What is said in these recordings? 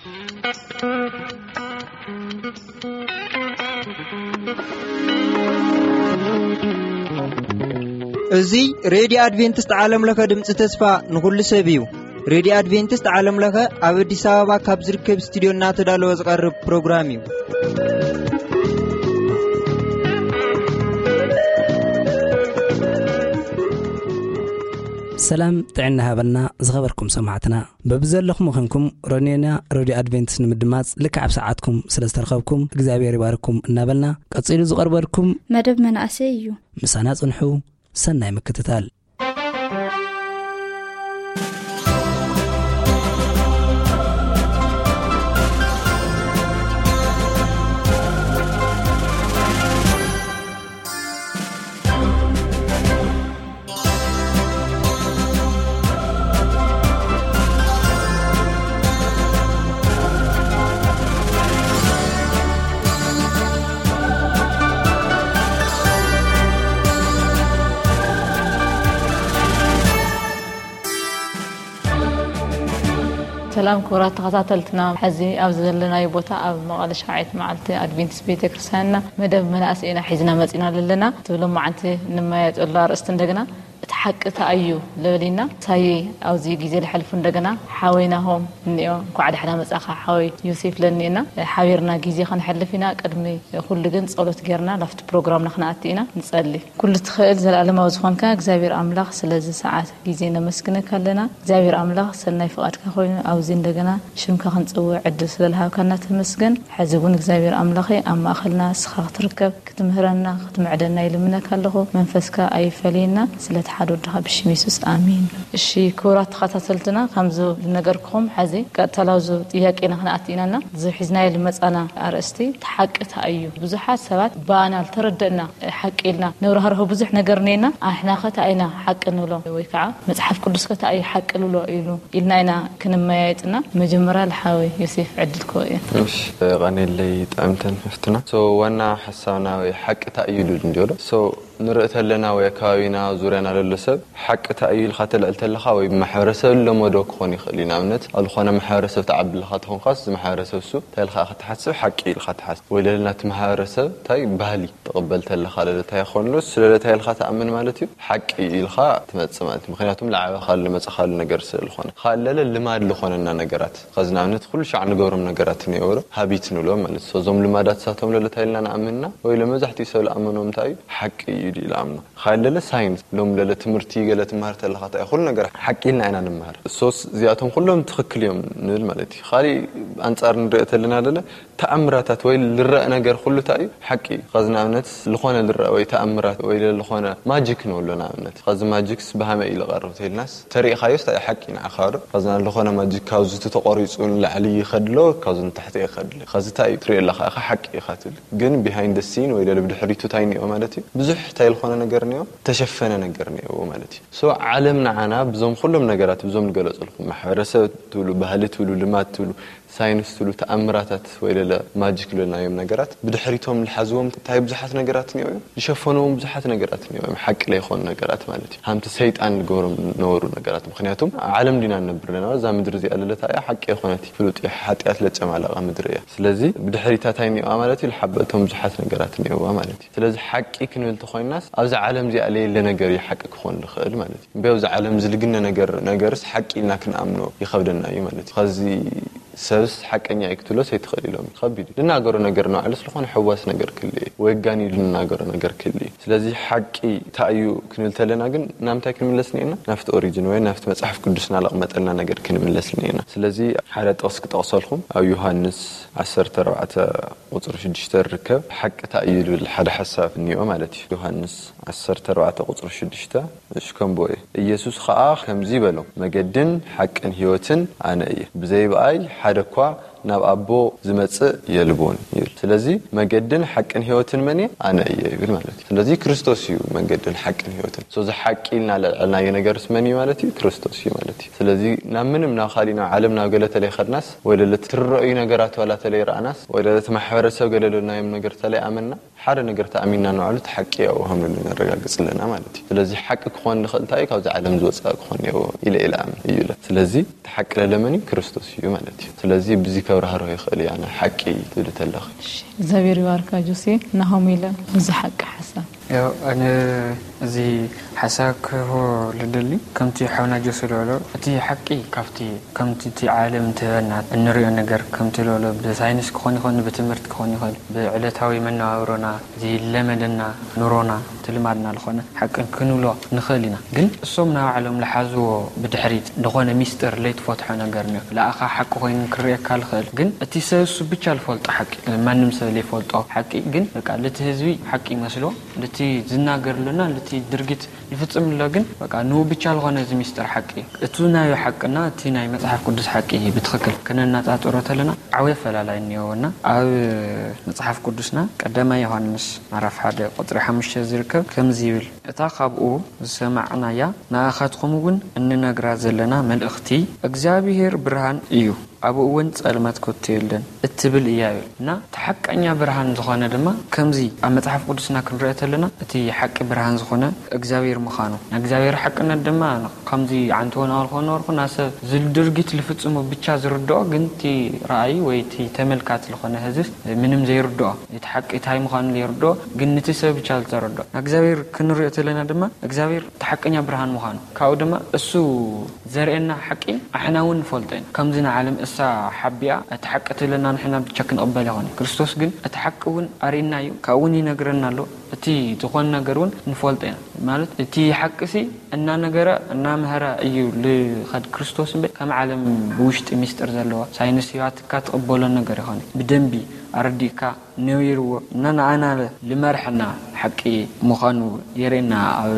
እዚ ሬድዮ ኣድቬንቲስት ዓለም ለኸ ድምፂ ተስፋ ንኹሉ ሰብ እዩ። ሬድዮ ኣድቬንቲስት ዓለም ለኸ ኣብ ኣዲስ ኣበባ ካብ ዝርከብ ስቱዲዮ እናተዳለወ ዝቐርብ ፕሮግራም እዩ። ሰላም ጥዕና ሃበልና ዝኸበርኩም ሰማዕትና። በብዘለኹም ኾንኩም ሮኔና ሬድዮ ኣድቬንቲስት ንምድማጽ ልክዕ ኣብ ሰዓትኩም ስለ ዝተረኸብኩም እግዚኣብሔር ይባርኩም እናበልና፣ ቀጺሉ ዝቐርበልኩም መደብ መናእሰይ እዩ። ምሳና ጽንሑ። ሰናይ ምክትታል። ሰላም ክቡራት ተኸታተልትና፣ ሕዚ ኣብዚ ዘለናዮ ቦታ ኣብ መቐለ ሻውዓይቲ መዓልቲ ኣድቬንቲስት ቤተክርስትያንና መደብ መናእሰይና ሒዝና መፂና ኣለና። እቲ ሎማዓንቲ ንመያየጠሉ ኣርእስቲ እንደገና እቲ ሓቂ እንታይ እዩ ልብል ኢና። ሳይ ኣብዚ ግዜ ዝሓልፉ እንደገና ሓወይ ናሆም እኒኦ፣ እንኳዕ ደሕና መጻኻ ሓወይ ዮሴፍ ለኒእና ሓቢርና ግዜ ከነሕልፍ ኢና። ቅድሚ ኩሉ ግን ጸሎት ጌርና ላፍቲ ፕሮግራምና ክነኣቲ ኢና። ንጸሊ። ኩሉ ትኽእል ዘለኣለማዊ ዝኾንካ እግዚኣብሔር ኣምላኽ ስለዚ ሰዓት ግዜ ነመስግነካ ኣለና። እግዚኣብሔር ኣምላኽ ሰናይ ፍቓድካ ኮይኑ ኣብዚ እንደገና ሽምካ ክንጽውዕ ዕድል ስለ ዝሃብካና ተመስገን። ሕዚ እውን እግዚኣብሔር ኣምላኸይ ኣብ ማእኸልና ንስኻ ክትርከብ ክትምህረና ክትምዕደና ይልምነካ ኣለኹ። መንፈስካ ኣይፈለየና። ስለ እቲ ሓደ ወድኻ ብሽም የሱስ ኣሜን። እሺ ክቡራት ተኸታተልትና ከምዚ ዝነገርኩኹም ሕዚ ቀጥታ ላብዚ ጥያቄና ክንኣቲ ኢና። እዚ ሒዝናዮ ዝመጻና ኣርእስቲ እቲ ሓቂ እንታይ እዩ? ብዙሓት ሰባት ብኣና ዝተረደእና ሓቂ ኢልና ነብራህርሆ ብዙሕ ነገር እኒኤና። ኣሕና ከ እንታይ ኢና ሓቂ ንብሎ ወይ ከዓ መጽሓፍ ቅዱስ ከ እንታይ እዩ ሓቂ ንብሎ ኢሉ ኢልና ኢና ክንመያየጥና። መጀመርያ ልሓወይ ዮሴፍ ዕድል ክህቦ እየ። እሺ፣ ቀኒለይ ጥዕምተን ሕፍትና። ሶ ዋና ሓሳብና ወይ ሓቂ እንታይ እዩ ኢሉ እንዲዮ ዶ? ሶ ንርኢ ተለና ወይ ኣከባቢና ዙርያና ለሎ ሰብ ሓቂ እንታይ እዩ ኢልካ ተልዕል ተለኻ ወይ ማሕበረሰብ ለመዶ ክኾን ይኽእል እዩ። ንኣብነት ኣብ ዝኾነ ማሕበረሰብ ትዓቢ ኣለኻ ተኾንካስ እዚ ማሕበረሰብ እሱ እንታይ ኢልካ ክትሓስብ ሓቂ ኢልካ ትሓስብ ወይ ለለ ናቲ ማሕበረሰብ እንታይ ባህሊ ትቕበል ተለኻ ለለ እንታይ ይኾንሉ ስለለ እንታይ ኢልካ ትኣምን ማለት እዩ ሓቂ ኢልካ ትመጽእ ማለት እዩ። ምኽንያቱም ልዓበኻሉ ልመጸኻሉ ነገር ስለ ዝኾነ። ካልእ ለለ ልማድ ልኾነና ነገራት ኸዚ ንኣብነት ኩሉ ሻዕ ንገብሮም ነገራት እኒአው ዶ ሃቢት ንብሎም ማለት እዩ። እዞም ልማዳት ሳቶም ለለ እንታይ ኢልና ንኣምንና ወይ ለመብዛሕትኡ ሰብ ልኣመኖም እንታይ እዩ ሓቂ እዩ ኢሉ ይኣምኖ። ካልእ ለለ ሳይንስ ሎም ለለ ትምህርቲ ገለ ትምሃር ተለኻ እንታይ ኩሉ ነገር ሓቂ ኢልና ኢና ንመሃር። ሶስ እዚኣቶም ኩሎም ትኽክል እዮም ንብል ማለት እዩ። ካሊእ ኣንጻር ንርኢ ተለና ለለ ተኣምራታት ወይ ልረእ ነገር ኩሉ እንታይ እዩ ሓቂ እዩ። ኸዚ ንኣብነት ልኾነ ልረእ ወይ ተኣምራት ወይ ለለ ልኾነ ማጂክ ንብሎ ንኣብነት ኸዚ ማጂክስ ብሃመ እዩ ልቐርብ ተይልናስ ተሪእኻዮስ እንታይ ሓቂ ንዓኻ ዶ? ከዚ ዝኾነ ማጂክ ካብዚ እቲ ተቆሪጹ ንላዕሊ ይኸድሎ ካብዚ ንታሕቲ ይኸድሎ። ከዚ እንታይ እዩ ትሪኦ ኣለኻ ኢኻ ሓቂ ኢኻ ትብል። ግን ቢሃይንድ ሲን ወይ ደለ ብድሕሪቱ እንታይ እኒኦ ማለት እዩ? ብዙሕ እንታይ ዝኾነ ነገር እኒኦ? ተሸፈነ ነገር እኒኦ ማለት እዩ። ሶ ዓለም ንዓና ብዞም ኩሎም ነገራት ብዞም ዝገለጸልኩም ማሕበረሰብ ትብሉ፣ ባህሊ ትብሉ፣ ልማድ ትብሉ፣ ሳይንስ ትብሉ ተኣምራታት ወይ ለለ ማጂክ ልብልናዮም ነገራት ብድሕሪቶም ዝሓዝዎም እንታይ ብዙሓት ነገራት እኒኦ እዮም ዝሸፈንዎም ብዙሓት ነገራት እኒኦ እዮም ሓቂ ለይኮኑ ነገራት ማለት እዩ። ሃምቲ ሰይጣን ዝገብሮም ዝነበሩ ነገራት ምክንያቱም ዓለም ዲና ንነብር ኣለና እዛ ምድሪ እዚኣ ለለታ እያ ሓቂ የኮነት ፍሉጥ እዩ ሓጢኣት ለጨማለቐ ምድሪ እያ። ስለዚ ብድሕሪታ እንታይ እኒኦዋ ማለት እዩ ዝሓበቶም ብዙሓት ነገራት እኒኦዋ ማለት እዩ። ስለዚ ሓቂ ክንብል ተኮይናስ ኣብዚ ዓለም እዚኣ ለየለ ነገር እዩ ሓቂ ክኾን ዝኽእል ማለት እዩ። እምበይ ኣብዚ ዓለም ዝልግነ ነገር ነገርስ ሓቂ ኢልና ክንኣምኖ ይኸብደና እዩ ማለት እዩ። ከዚ ሰብስ ሓቀኛ እዩ ክትብሎስ ኣይትኽእል ኢሎም እዩ። ከቢድ እዩ። ልናገሮ ነገር ንባዕሉ ስለኾነ ሕዋስ ነገር ክልእ እዩ። ወይ ጋን እዩ ልናገሮ ነገር ክልእ እዩ። ስለዚ ሓቂ እንታይ እዩ ክንብል ተለና ግን ናምንታይ ክንምለስ እኒኤና? ናብቲ ኦሪጅን ወይ ናብቲ መጽሓፍ ቅዱስና ለቕመጠልና ነገር ክንምለስ እኒኤና። ስለዚ ሓደ ጥቕስ ክጠቕሰልኩም ኣብ ዮሃንስ ዓሰርተ ኣርባዕተ ቁጽሪ ሽዱሽተ ዝርከብ ሓቂ እንታይ እዩ ዝብል ሓደ ሓሳብ እኒኦ ማለት እዩ። ዮሃንስ ዓሰርተ ኣርባዕተ ቁጽሪ ሽዱሽተ እሺ ከምቦ እየ። ኢየሱስ ኸኣ ከምዚ በሎም፣ መገድን ሓቅን ህይወትን ኣነ እየ። ብዘይ ብኣይ ሓደ እኳ ናብ ኣቦ ዝመጽእ የልቦን ይብል። ስለዚ መገድን ሓቅን ህይወትን መን እየ? ኣነ እየ ይብል ማለት እዩ። ስለዚ ክርስቶስ እዩ መገድን ሓቅን ህይወትን። ሶ እዚ ሓቂ ኢልና ለልዐልናዮ ነገርስ መን እዩ ማለት እዩ? ክርስቶስ እዩ ማለት እዩ። ስለዚ ናብ ምንም ናብ ካሊእ ናብ ዓለም ናብ ገለ ተለይ ኸድናስ ወይ ለለ ትረኣዩ ነገራት ዋላ ተለይ ረኣናስ ወይ ለለ እቲ ማሕበረሰብ ገለ ለናዮም ነገር ተለይ ኣመና ሓደ ነገር ተኣሚንና ንባዕሉ እቲ ሓቂ ያው ሃምሉ ነረጋግጽ ኣለና ማለት እዩ። ስለዚ ሓቂ ክኾን ንኽእል እንታይ እዩ? ካብዚ ዓለም ዝወጽእ ክኾን እኒአዎ ኢለ ኢለ ኣምን እዩ ኢለ። ስለዚ እቲ ሓቂ ለለመን እዩ? ክርስቶስ እዩ ማለት እዩ። ስለዚ ብዚ ከብራህርሆ ይኽእል እዩ። ኣነ ሓቂ ትብል ተለኺ። እግዚኣብሔር ይባርካ ጆሴ። ናሆም ኢለ እዚ ሓቂ ሓሳብ ያው ኣነ እዚ ሓሳብ ክህቦ ልደሊ ከምቲ ሓውና ጆሴ ዝበሎ እቲ ሓቂ ካብቲ ከምቲ እቲ ዓለም ትህበና እንሪኦ ነገር ከምቲ ዝበሎ ብሳይንስ ክኾን ይኽእል ብትምህርቲ ክኾን ይኽእል ብዕለታዊ መነባብሮና ዝለመደና ኑሮና ትልማድና ዝኾነ ሓቂ ክንብሎ ንኽእል ኢና። ግን እሶም ናባዕሎም ዝሓዝዎ ብድሕሪት ዝኾነ ሚስጥር ለይትፈትሖ ነገር እኒኦ። ለኣኻ ሓቂ ኮይኑ ክርእየካ ዝኽእል ግን እቲ ሰብ እሱ ብቻ ዝፈልጦ ሓቂ ማንም ሰብ ዘይፈልጦ ሓቂ ግን በቃ ልቲ ህዝቢ ሓቂ ይመስሎ ልቲ ዝናገርሉና ልቲ ድርጊት ይፍጽም ኣሎ ግን በቃ ንኡ ብቻ ዝኾነ እዚ ሚስጥር ሓቂ እዩ። እቱ ናይ ሓቅና እቲ ናይ መጽሓፍ ቅዱስ ሓቂ ብትኽክል ክነናጻጽሮ ተለና ዓብየ ፈላላይ እኒኦና ኣብ መጽሓፍ ቅዱስና ቀዳማይ ዮሃንስ ምዕራፍ ሓደ ቁፅሪ ሓሙሽተ ዝርከብ ከምዚ ይብል፣ እታ ካብኡ ዝሰማዕናያ ንኣኻትኩም እውን እንነግራ ዘለና መልእኽቲ እግዚኣብሔር ብርሃን እዩ፣ ኣብኡ እውን ጸልማት ከቶ የለን እትብል እያ ይብል እና እቲ ሓቀኛ ብርሃን ዝኾነ ድማ ከምዚ ኣብ መጽሓፍ ቅዱስና ክንሪኦ ተለና እቲ ሓቂ ብርሃን ዝኾነ እግዚኣብሔር ምዃኑ ናይ እግዚኣብሔር ሓቅነት ድማ ከምዚ ዓንትዎ ናበልኮ ነበርኩ ናብ ሰብ ዝል ድርጊት ዝፍጽሙ ብቻ ዝርድኦ ግን እቲ ረኣዩ ወይ እቲ ተመልካቲ ዝኾነ ህዝብ ምንም ዘይርድኦ እቲ ሓቂ እንታይ ምዃኑ ዘይርድኦ ግን ንቲ ሰብ ብቻ ዝተረድኦ እግዚኣብሔር ክንሪኦ ተለና ድማ እግዚኣብሔር እቲ ሓቀኛ ብርሃን ምዃኑ ካብኡ ድማ እሱ ዘርእየና ሓቂ ኣሕና እውን ንፈልጦ ኢና ከምዚ ንዓለም እሳ ሓቢኣ እቲ ሓቂ ትብለና ንሕና ብቻ ክንቕበል ይኾነ ክርስቶስ ግን እቲ ሓቂ እውን ኣርእና እዩ ካብኡ እውን ይነግረና ኣሎ እቲ ዝኾነ ነገር እውን ንፈልጦ ኢና ማለት እቲ ሓቂ ሲ እናነገረ እናምሃረ እዩ ልኸድ ክርስቶስ እምበር ከም ዓለም ብውሽጢ ሚስጥር ዘለዎ ሳይንስ ህይወትካ ትቕበሎ ነገር ይኾነ ብደንቢ ኣረዲእካ ነዊርዎ እና ንኣና ልመርሐና ሓቂ ምዃኑ የርእና ኣብ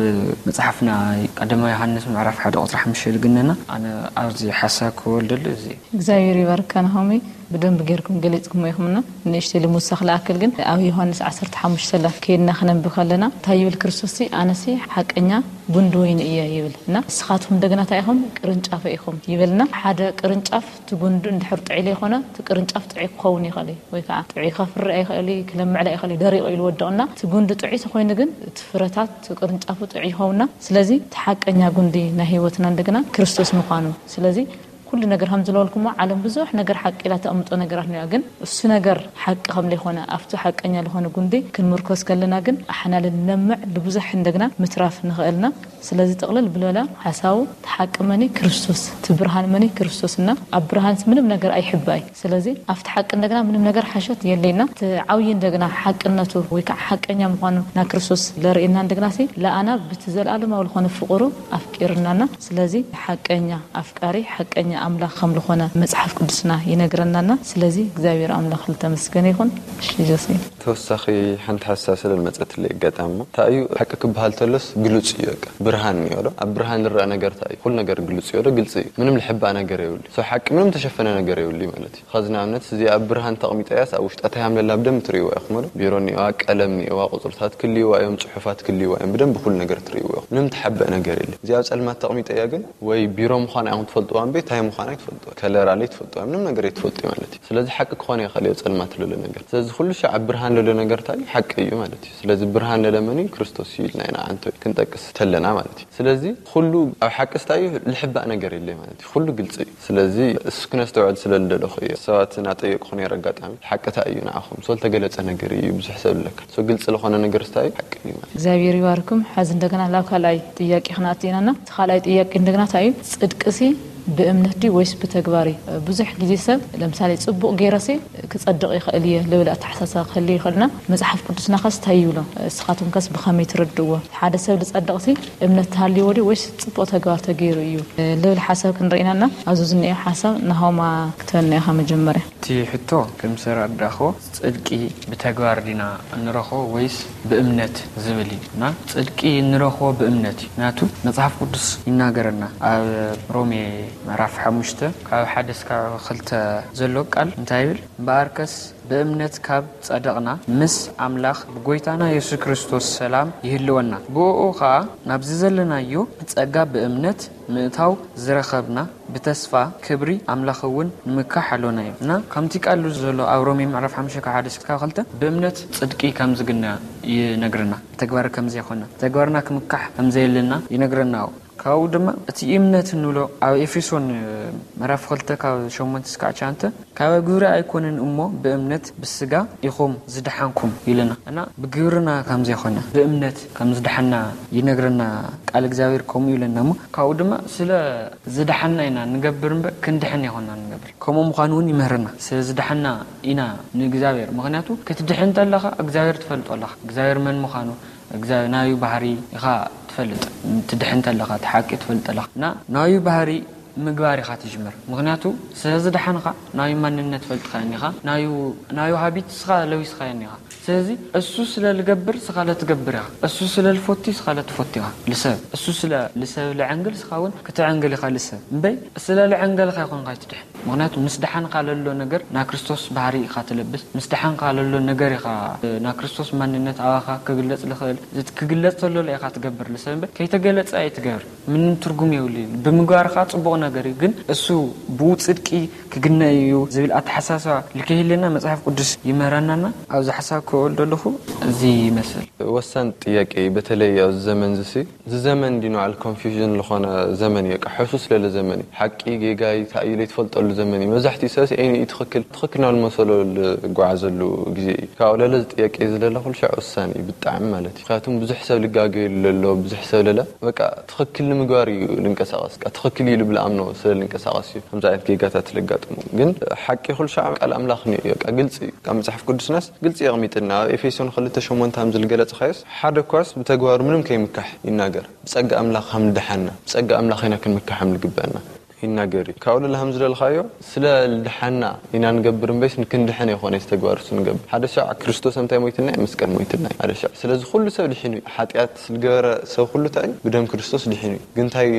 መፅሓፍና ቀደማ ዮሃንስ ምዕራፍ ሓደ ቁፅሪ ሓሙሽተ ልግነና ኣነ ኣብዚ ሓሳብ ክወልደሉ እዚ እግዚኣብሔር ይባርካ ናሆሚ ብደንብ ጌርኩም ገሊፅኩሞ ኢኹምና ንእሽተይ ልምውሳኽ ልኣክል ግን ኣብ ዮሃንስ ዓሰርተ ሓሙሽተ ላ ከይድና ክነንብ ከለና እንታይ ይብል ክርስቶስ ኣነሲ ሓቀኛ ጉንዲ ወይኒ እየ ይብል እና ንስኻትኩም እንደገና እንታይ ኢኹም ቅርንጫፈ ኢኹም ይብልና ሓደ ቅርንጫፍ እቲ ጉንዲ እንድሕር ጥዒ ዘይኮነ እቲ ቅርንጫፍ ጥዑይ ክኸውን ይኽእል እዩ ወይ ከዓ ጥዑይ ከፍሪ ኣይኽእል እዩ ክለምዕላ ይኽእል እዩ ደሪቑ ኢሉ ወደቕና እቲ ጉንዲ ጥዑይ ተኮይኑ ግን እቲ ፍረታት እቲ ቅርንጫፉ ጥዑይ ይኸውና ስለዚ እቲ ሓቀኛ ጉንዲ ናይ ህይወትና እንደገና ክርስቶስ ምዃኑ ስለዚ ኩሉ ነገር ከም ዝለወልኩሞ ዓለም ብዙሕ ነገር ሓቂ ኢላ ተቐምጦ ነገራት ነያ ግን እሱ ነገር ሓቂ ከም ዘይኮነ ኣብቲ ሓቀኛ ዝኾነ ጉንዲ ክንምርኮስ ከለና ግን ኣሕና ልንለምዕ ልብዙሕ እንደግና ምትራፍ ንኽእልና ስለዚ ጥቕልል ብልበላ ሓሳቡ እቲ ሓቂ መኒ ክርስቶስ እቲ ብርሃን መኒ ክርስቶስ እና ኣብ ብርሃንስ ምንም ነገር ኣይሕባይ ስለዚ ኣብቲ ሓቂ እንደግና ምንም ነገር ሓሸት የለይና እቲ ዓብዪ እንደግና ሓቅነቱ ወይ ከዓ ሓቀኛ ምዃኑ ና ክርስቶስ ለርእየና እንደግና ሲ ለኣና ብቲ ዘለኣለማዊ ዝኾነ ፍቕሩ ኣፍቂርናና ስለዚ ሓቀኛ ኣፍቃሪ ሓቀኛ ኣምላኽ ከም ዝኾነ መጽሓፍ ቅዱስና ይነግረናና ስለዚ እግዚኣብሔር ኣምላኽ ልተመስገነ ይኹን እሺ ጆሴ ተወሳኺ ሓንቲ ሓሳብ ስለ መፀትለይ ኣጋጣሚ እሞ እንታይ እዩ ሓቂ ክበሃል ተሎስ ግሉፅ እዩ በቃ ብርሃን እኒኦ ዶ ኣብ ብርሃን ዝረአ ነገር እንታይ እዩ ኩሉ ነገር ግሉፅ እዩ ዶ ግልፂ እዩ ምንም ልሕባእ ነገር የብሉ ሰው ሓቂ ምንም ተሸፈነ ነገር የብሉ ማለት እዩ ኸዚ ንኣብነት እዚ ኣብ ብርሃን ተቕሚጠ እያስ ኣብ ውሽጣ እንታይ ሃምለላ ብደንብ ትርእይዋ ኢኹም ዶ ቢሮ እኒኦዋ ቀለም እኒኦዋ ቁፅርታት ክልይዋ እዮም ፅሑፋት ክልይዋ እዮም ብደንብ ኩሉ ነገር ትርእይዎ ኢኹም ምንም ትሓበእ ነገር የለ እዚ ኣብ ፀልማት ተቕሚጠ እያ ግን ወይ ቢሮ ምዃና ኢኹም ትፈልጥዋ እምበይ እንታይ ምዃና ኣይትፈልጥዋ ከለራ ለይ ትፈልጥዋ ምንም ነገር ኣይትፈልጡ ማለት እዩ ስለዚ ሓቂ ክኾነ ይኽእል እዩ ፀልማት ለሎ ነገር ስለዚ ኩሉ ሻዕ ኣብ ብርሃን ለሎ ነገር እንታይ ሓቂ እዩ ማለት እዩ ስለዚ ብርሃን ለለመን እዩ ክርስቶስ እዩ ኢልና ኢና ኣንተ ክንጠቅስ ተለና ማለት እዩ ስለዚ ኩሉ ኣብ ሓቂ ስታይ እዩ ልሕባእ ነገር የለ ማለት እዩ ኩሉ ግልፂ እዩ ስለዚ እሱ ክነስተውዕል ስለ ልደለኹ እዩ ሰባት ናጠየቅኹ ነይረ ኣጋጣሚ ሓቂ እንታይ እዩ ንዓኹም ሰው ልተገለፀ ነገር እዩ ብዙሕ ሰብ ኣለካ ሰው ግልፂ ለኾነ ነገር ስታይ እዩ ሓቂ እዩ ማለት እግዚኣብሔር ይባርኩም ሐዚ እንደገና ላብ ካልኣይ ጥያቄ ክንኣቲ ኢናና እቲ ካልኣይ ጥያቄ እንደገና እንታይ እዩ ጽድቅሲ ብእምነት ድዩ ወይስ ብተግባር እዩ ብዙሕ ግዜ ሰብ ለምሳሌ ጽቡቕ ገይረሲ ክጸድቕ ይኽእል እየ ልብል ኣተሓሳሰባ ክህልዮ ይኽእልና መጽሓፍ ቅዱስና ከስ እንታይ ይብሎ እስኻትኩም ከስ ብኸመይ ትርድእዎ ሓደ ሰብ ዝጸድቕሲ እምነት ተሃልይዎ ድዩ ወይስ ጽቡቕ ተግባር ተገይሩ እዩ ልብል ሓሳብ ክንርኢናና ኣብዚ ዝኒኦ ሓሳብ ናሆማ ክትበልና ኢኻ መጀመርያ እቲ ሕቶ ከም ዝተረዳእኽዎ ጽድቂ ብተግባር ዲና እንረኽቦ ወይስ ብእምነት ዝብል እዩ እና ጽድቂ እንረኽቦ ብእምነት እዩ ምክንያቱ መጽሓፍ ቅዱስ ይናገረና ኣብ ሮሜ ምዕራፍ ሓሙሽተ ካብ ሓደ እስካብ ክልተ ዘሎ ቃል እንታይ ይብል እምበኣርከስ ብእምነት ካብ ጸደቕና ምስ ኣምላኽ ብጎይታና የሱስ ክርስቶስ ሰላም ይህልወና ብእኡ ኸኣ ናብዚ ዘለናዮ ጸጋ ብእምነት ምእታው ዝረኸብና ብተስፋ ክብሪ ኣምላኽ እውን ንምካሕ ኣሎና እዩ እና ከምቲ ቃሉ ዘሎ ኣብ ሮሜ ምዕራፍ ሓሙሽተ ካብ ሓደ እስካብ ክልተ ብእምነት ጽድቂ ከም ዝግነ ይነግርና ብተግባር ከም ዘይኮነ ብተግባርና ክምካሕ ከም ዘየለና ይነግረና ካብኡ ድማ እቲ እምነት እንብሎ ኣብ ኤፌሶን ምዕራፍ ክልተ ካብ ሸሞንተ እስካዕ ትሽዓተ፣ ካብ ግብሪ ኣይኮነን እሞ ብእምነት ብስጋ ኢኹም ዝደሓንኩም ይብለና። እና ብግብርና ከም ዘይኮነ ብእምነት ከም ዝደሓና ይነግረና ቃል እግዚኣብሔር። ከምኡ ይብለና እሞ ካብኡ ድማ ስለ ዝደሓና ኢና ንገብር እምበር ክንድሕን ኣይኮና ንገብር። ከምኡ ምዃኑ እውን ይምህርና። ስለ ዝደሓና ኢና ንእግዚኣብሔር። ምኽንያቱ ክትድሕን እንተለኻ እግዚኣብሔር ትፈልጦ ኣለኻ። እግዚኣብሔር መን ምዃኑ፣ እግዚኣብሔር ናዩ ባህሪ ኢኻ ትፈልጥ። ትድሕን እንተለኻ እቲ ሓቂ ትፈልጥ ኣለኻ። እና ናዩ ባህሪ ምግባር ኢኻ ትጅምር። ምኽንያቱ ስለ ዝደሓንኻ ናዩ ማንነት ፈልጥኻዮ እኒኻ። ናዩ ናዩ ሃቢት እስኻ ለዊስኻዮ እኒኻ። ስለዚ እሱ ስለ ልገብር ስኻ ለትገብር ኢኻ። እሱ ስለ ልፎቲ ስኻ ለትፎቲ ኢኻ። ልሰብ እሱ ስለ ልሰብ ልዐንግል ስኻ እውን ክትዐንግል ኢኻ። ልሰብ እምበይ ስለ ልዐንገልኻ ይኾንካ ይትድሕን። ምኽንያቱ ምስ ደሓንካ ለሎ ነገር ና ክርስቶስ ባህሪ ኢኻ ትለብስ። ምስ ደሓንካ ለሎ ነገር ኢኻ ና ክርስቶስ ማንነት ኣባኻ ክግለጽ ልኽእል። ክግለጽ ተሎ ኢኻ ትገብር። ልሰብ እምበይ ከይተገለጸ ኣይትገብር። ምንም ትርጉም የብሉ። ብምግባርካ ጽቡቕ ነገር እዩ፣ ግን እሱ ብኡ ጽድቂ ክግነ እዩ ዝብል ኣተሓሳስባ ልከይህልና መጽሓፍ ቅዱስ ይምህረናና። ኣብዚ ሓሳብ ክወል ዘለኹ እዚ ይመስል። ወሳን ጥያቄ እዩ። በተለይ ኣብዚ ዘመን ዝሲ እዚ ዘመን እንዲ ንባዕሉ ኮንፊውዥን ዝኾነ ዘመን እዩ። በቃ ሕሱስ ለለ ዘመን እዩ። ሓቂ ጌጋ እዩ፣ እንታይ እዩ ለይትፈልጠሉ ዘመን እዩ። መብዛሕትኡ ሰብሲ ዓይኑ እዩ ትኽክል ትኽክል ናብ ዝመሰሎ ዝጓዓዘሉ ግዜ እዩ። ካብኡ ለለ እዚ ጥያቄ እዚ ለለ ኩሉ ሻዕ ወሳን እዩ ብጣዕሚ ማለት እዩ። ምክንያቱም ብዙሕ ሰብ ልጋገየሉ ለሎ ብዙሕ ሰብ ለለ በቃ ትኽክል ንምግባር እዩ ልንቀሳቐስ። በቃ ትኽክል እዩ ልብል ኣምኖ ስለ ልንቀሳቐስ እዩ ከምዚ ዓይነት ጌጋታት ለጋጥሙ። ግን ሓቂ ኩሉ ሻዕ ቃል ኣምላኽ እዩ። በቃ ግልፂ እዩ። ካብ መፅሓፍ ቅዱስናስ ግልፂ የቕሚጥልና። ኣብ ኤፌሶን ክልተ ሸሞንተ ከም ዝልገለፅኻዮስ ሓደ ኳስ ብተግባሩ ምንም ከይምካሕ ይናገር። ብጸጋ ኣምላኽ ከም ልደሓና፣ ብጸጋ ኣምላኽ ኢና ክንምካሕ ከም ልግበአና ይናገር እዩ። ካብኡ ለለ ከም ዝደልኻዮ ስለ ልደሓና ኢና ንገብር እምበይስ ንክንድሕን ኣይኮነ ዝተግባር እሱ ንገብር። ሓደ ሻዕ ክርስቶስ እንታይ ሞይትና እዩ? መስቀል ሞይትና እዩ። ሓደ ሻዕ ስለዚ ኩሉ ሰብ ድሒኑ እዩ። ሓጢኣት ዝገበረ ሰብ ኩሉ እንታይ እዩ? ብደም ክርስቶስ ድሒኑ እዩ። ግን እንታይ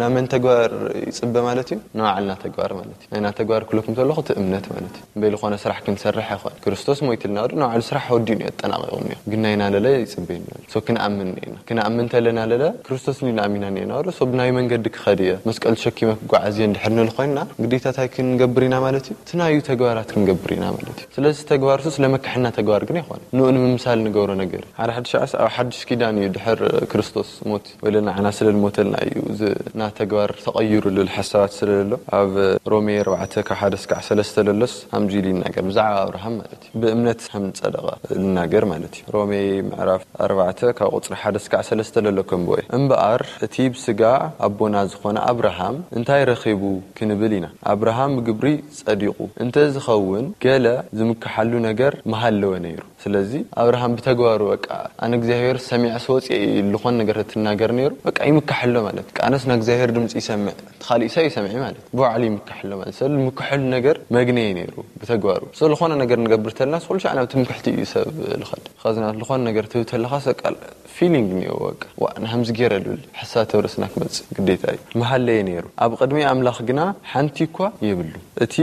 ናመን ተግባር ይጽበ ማለት እዩ? ንባዕልና ተግባር ማለት እዩ። ናይና ተግባር ክለኩም ተለኹ እቲ እምነት ማለት እዩ። እምበይ ዝኾነ ስራሕ ክንሰርሕ ኣይኮነ። ክርስቶስ ሞይትልና ወዲ ንባዕሉ ስራሕ ወዲኡ እዩ ኣጠናቒቑ እኒኦ። ግን ናይና ለለ ይጽበየና ኣሎ። ሶ ክንኣምን እኒኤና። ክንኣምን ተለና ለለ ክርስቶስ ኒና ኣሚና እኒኤና ወዲ ሶ ብናይ መንገዲ ክኸድ እየ መስቀል ተሸኪመ ክጓዓዝ እየ እንድሕር ንብል ኮይንና ግዴታ እንታይ ክንገብር ኢና ማለት እዩ? እቲ ናዩ ተግባራት ክንገብር ኢና ማለት እዩ። ስለዚ ተግባር ሱ ስለመካሕና ተግባር ግን ኣይኮነ። ንኡ ንምምሳል ንገብሮ ነገር እዩ። ሓደ ሓድሽ ዓስ ኣብ ሓድሽ ኪዳን እዩ ድሕር ክርስቶስ ሞት ወይለ ንዓና ስለ ልሞተልና እዩ እዚ ና ተግባር ተቐይሩ ልብል ሓሳባት ስለ ለሎ ኣብ ሮሜ ኣርባዕተ ካብ ሓደ እስካዕ ሰለስተ ለሎስ ሃምዚ ኢሉ ይናገር ብዛዕባ ኣብርሃም ማለት እዩ። ብእምነት ከም ዝጸደቐ ልናገር ማለት እዩ። ሮሜ ምዕራፍ ኣርባዕተ ካብ ቁጽሪ ሓደ እስካዕ ሰለስተ ለሎ ከንብቦ እየ። እምበኣር እቲ ብስጋ ኣቦና ዝኾነ ኣብርሃም እንታይ ረኺቡ ክንብል ኢና። ኣብርሃም ብግብሪ ጸዲቑ እንተ ዝኸውን ገለ ዝምክሓሉ ነገር ምሃለወ ነይሩ። ስለዚ ኣብርሃም ብተግባሩ በቃ ኣነ እግዚኣብሔር ሰሚዐ ስወፅኤ ዝኾነ ነገር ትናገር ነይሩ በቃ ይምካሕ ኣሎ ማለት በቃ ኣነስ ንእግዚኣብሔር ድምፂ ይሰምዕ እቲ ካሊእ ሰብ ይሰምዕ ማለት ብባዕሉ ይምካሕ ኣሎ ማለት ሰብ ዝምክሐሉ ነገር መግነየ ነይሩ ብተግባሩ ሶ ዝኾነ ነገር ንገብር ተልና ኩሉ ሻዕ ናብ ትምክሕቲ እዩ ሰብ ልኸድ ኸዚ ናብ ዝኾነ ነገር ትህብ ተለኻ ሰቃል ፊሊንግ እኒኦ በቃ ዋ ንሃምዚ ገይረ ልብል ሓሳብ ተብ ርእስና ክመፅእ ግዴታ እዩ መሃለየ ነይሩ ኣብ ቅድሚ ኣምላኽ ግና ሓንቲ እኳ የብሉ እቲ